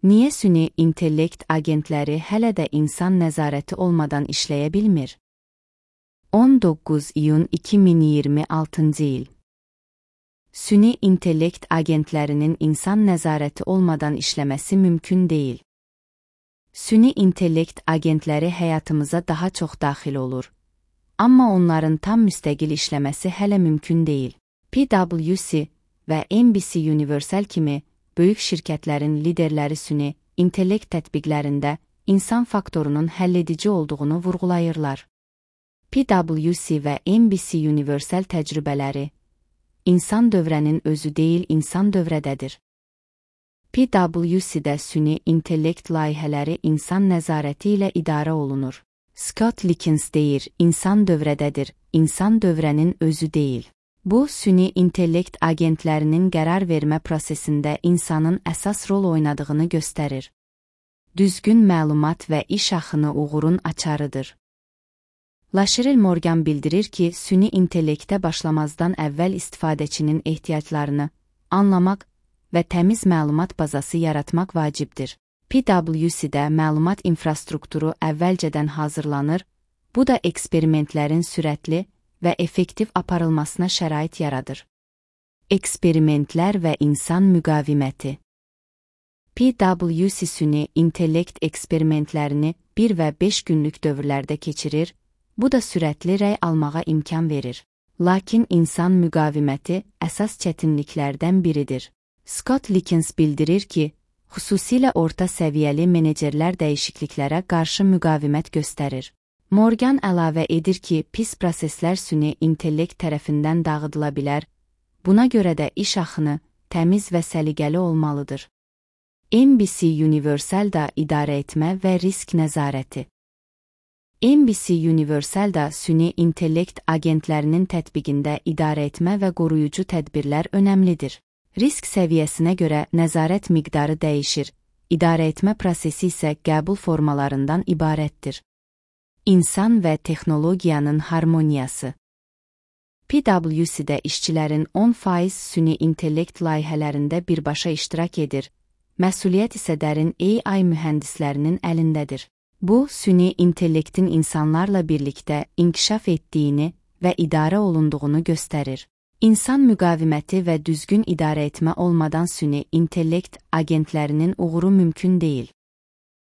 Niyə süni intellekt agentləri hələ də insan nəzarəti olmadan işləyə bilmir? 19 iyun 2026 il. Süni intellekt agentlərinin insan nəzarəti olmadan işləməsi mümkün deyil. Süni intellekt agentləri həyatımıza daha çox daxil olur. Amma onların tam müstəqil işləməsi hələ mümkün deyil. PwC və NBC Universal kimi böyük şirkətlərin liderləri süni intellekt tətbiqlərində insan faktorunun həlledici olduğunu vurğulayırlar. PwC və NBC Universal təcrübələri insan dövrənin özü deyil, insan dövrədədir. PwC-də süni intellekt layihələri insan nəzarəti ilə idarə olunur. Scott Likens deyir, insan dövrədədir, insan dövrənin özü deyil. Bu, süni intellekt agentlərinin qərar vermə prosesində insanın əsas rol oynadığını göstərir. Düzgün məlumat və iş axını uğurun açarıdır. Lashrel Morgan bildirir ki, süni intellektə başlamazdan əvvəl istifadəçinin ehtiyaclarını anlamaq və təmiz məlumat bazası yaratmaq vacibdir. PwC-də məlumat infrastrukturu əvvəlcədən hazırlanır, bu da eksperimentlərin sürətli və effektiv aparılmasına şərait yaradır. Eksperimentlər və insan müqaviməti. PwC süni intellekt eksperimentlərini 1 və 5 günlük dövrlərdə keçirir, bu da sürətli rəy almağa imkan verir. Lakin insan müqaviməti əsas çətinliklərdən biridir. Scott Likens bildirir ki, xüsusilə orta səviyyəli menecerlər dəyişikliklərə qarşı müqavimət göstərir. Morgan əlavə edir ki, pis proseslər süni intellekt tərəfindən dağıdıla bilər, buna görə də iş axını təmiz və səliqəli olmalıdır. NBC Universal da idarə etmə və risk nəzarəti. NBC Universal da süni intellekt agentlərinin tətbiqində idarə etmə və qoruyucu tədbirlər önəmlidir. Risk səviyyəsinə görə nəzarət miqdarı dəyişir, idarə etmə prosesi isə qəbul formalarından ibarətdir. İnsan və texnologiyanın harmoniyası. PwC-də işçilərin 10% süni intellekt layihələrində birbaşa iştirak edir, məsuliyyət isə dərin AI mühəndislərinin əlindədir. Bu, süni intellektin insanlarla birlikdə inkişaf etdiyini və idarə olunduğunu göstərir. İnsan müqaviməti və düzgün idarə etmə olmadan süni intellekt agentlərinin uğuru mümkün deyil.